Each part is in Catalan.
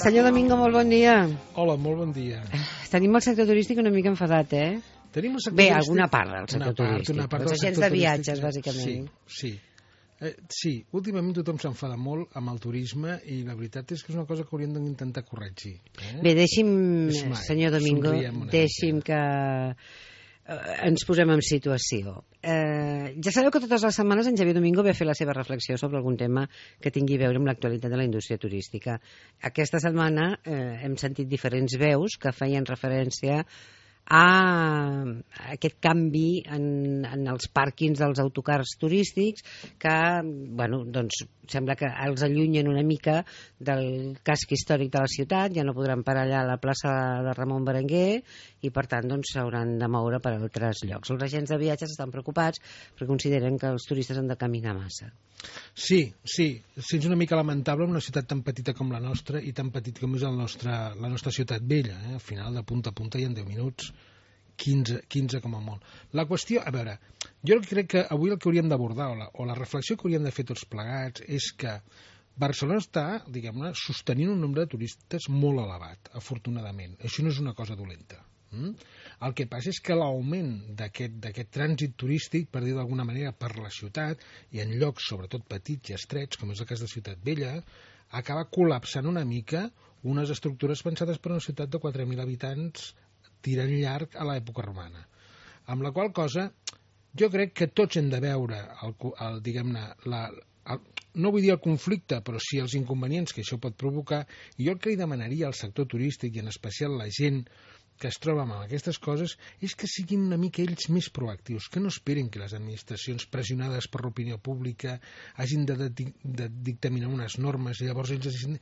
Senyor Domingo, molt bon dia. Hola, molt bon dia. Tenim el sector turístic una mica enfadat, eh? Tenim el sector Bé, turístic... alguna part del sector turístic. Els agents de viatges, bàsicament. Sí, últimament tothom s'enfada molt amb el turisme i la veritat és que és una cosa que hauríem d'intentar corregir. Bé, deixi'm, senyor Domingo, deixi'm que ens posem en situació. Ja sabeu que totes les setmanes en Xavier Domingo ve a fer la seva reflexió sobre algun tema que tingui a veure amb l'actualitat de la indústria turística. Aquesta setmana hem sentit diferents veus que feien referència a aquest canvi en els pàrquings dels autocars turístics que, bueno, doncs sembla que els allunyen una mica del casc històric de la ciutat, ja no podran parar allà a la plaça de Ramon Berenguer i per tant doncs s'hauran de moure per a altres llocs. Els agents de viatges estan preocupats perquè consideren que els turistes han de caminar massa. Sí, és una mica lamentable una ciutat tan petita com la nostra i tan petit com és la nostra ciutat vella. Al final, de punta a punta, hi ha 10 minuts, 15 com a molt. La qüestió, a veure, jo crec que avui el que hauríem d'abordar o la reflexió que hauríem de fer tots plegats és que Barcelona està, diguem-ne, sostenint un nombre de turistes molt elevat, afortunadament. Això no és una cosa dolenta. El que passa és que l'augment d'aquest trànsit turístic, per dir d'alguna manera, per la ciutat i en llocs sobretot petits i estrets, com és el cas de Ciutat Vella, acaba col·lapsant una mica unes estructures pensades per una ciutat de 4.000 habitants tirant llarg a l'època romana. Amb la qual cosa, jo crec que tots hem de veure diguem-ne, no vull dir el conflicte, però sí els inconvenients que això pot provocar, i jo el que li demanaria al sector turístic, i en especial la gent que es troba amb aquestes coses, és que siguin una mica ells més proactius, que no esperin que les administracions pressionades per l'opinió pública hagin de dictaminar unes normes i llavors ells hagin...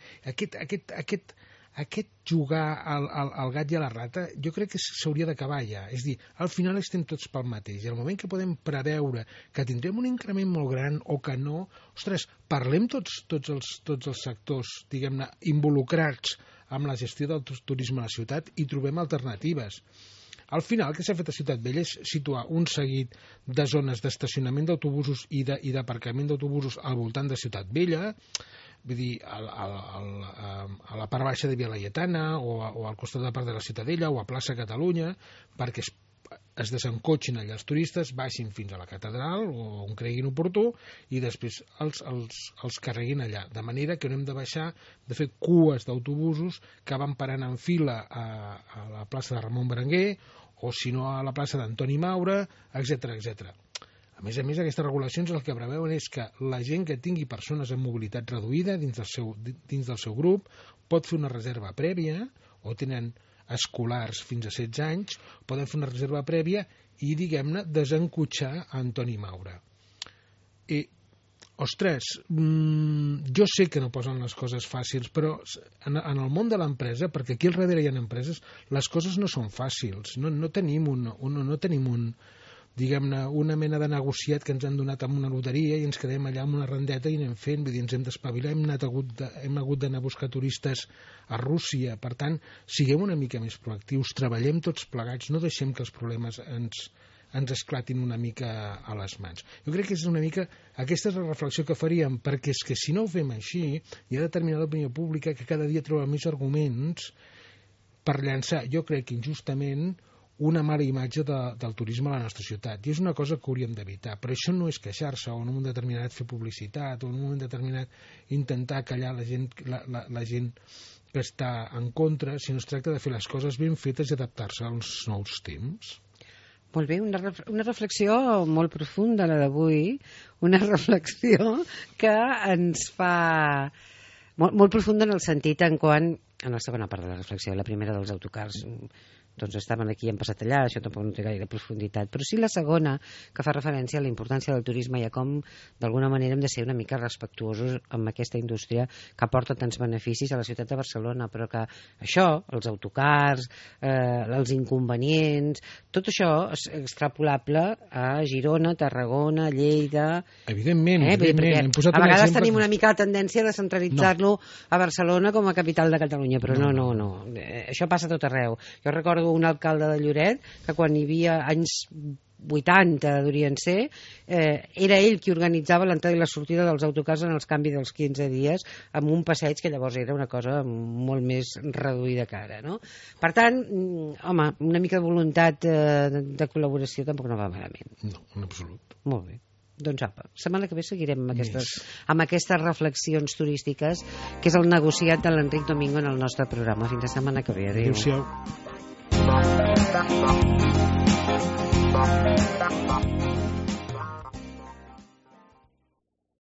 Aquest jugar al gat i a la rata jo crec que s'hauria d'acabar ja. És a dir, al final estem tots pel mateix. I al moment que podem preveure que tindrem un increment molt gran o que no, ostres, parlem tots els sectors, diguem-ne, involucrats amb la gestió del turisme a la ciutat i trobem alternatives. Al final, el que s'ha fet a Ciutat Vella és situar un seguit de zones d'estacionament d'autobusos i d'aparcament d'autobusos al voltant de Ciutat Vella, vull dir, a la part baixa de Via Laietana o al costat de la part de la Ciutadella o a plaça Catalunya, perquè es desencotxin allà els turistes, baixin fins a la catedral o on creguin oportú i després els carreguin allà, de manera que no hem de baixar de fer cues d'autobusos que van parant en fila a la plaça de Ramon Berenguer o si no a la plaça d'Antoni Maura, etc. A més, aquestes regulacions el que preveuen és que la gent que tingui persones amb mobilitat reduïda dins del seu grup pot fer una reserva prèvia, o tenen escolars fins a 16 anys, poden fer una reserva prèvia i, diguem-ne, desencotxar a Antoni Maura. Ostres, jo sé que no posen les coses fàcils, però en el món de l'empresa, perquè aquí al darrere hi ha empreses, les coses no són fàcils. No tenim diguem-ne, una mena de negociat que ens han donat amb una loteria i ens quedem allà amb una rendeta i anem fent, vull dir, ens hem d'espavilar, hem hagut d'anar a buscar turistes a Rússia. Per tant, siguem una mica més proactius, treballem tots plegats, no deixem que els problemes ens esclatin una mica a les mans. Jo crec que és una mica, aquesta és la reflexió que faríem, perquè és que si no ho fem així, hi ha determinada opinió pública que cada dia troba més arguments per llançar, jo crec que injustament, una mala imatge del turisme a la nostra ciutat. I és una cosa que hauríem d'evitar. Però això no és queixar-se o en un moment determinat fer publicitat o en un moment determinat intentar callar la gent que està en contra, sinó es tracta de fer les coses ben fetes i adaptar-se als nous temps. Molt bé, una reflexió molt profunda, la d'avui, una reflexió que ens fa molt profunda en el sentit en quant, en la segona part de la reflexió, la primera dels autocars, doncs estaven aquí i han passat allà, això tampoc no té gaire profunditat, però sí la segona, que fa referència a la importància del turisme i a com d'alguna manera hem de ser una mica respectuosos amb aquesta indústria que aporta tants beneficis a la ciutat de Barcelona, però que això, els autocars, els inconvenients, tot això és extrapolable a Girona, Tarragona, Lleida... Evidentment, hem posat a vegades tenim una mica la tendència de centralitzar-lo a Barcelona com a capital de Catalunya, però no. Això passa a tot arreu. Jo recordo un alcalde de Lloret que quan hi havia anys 80 durien ser, era ell qui organitzava l'entrada i la sortida dels autocars en els canvis dels 15 dies, amb un passeig que llavors era una cosa molt més reduïda que ara, no? Per tant, home, una mica de voluntat de col·laboració tampoc no va malament. No, en absolut. Molt bé. Doncs apa, setmana que ve seguirem amb aquestes reflexions turístiques, que és el negociat de l'Enric Domingo en el nostre programa. Fins la setmana que ve. Adéu. Adéu-siau.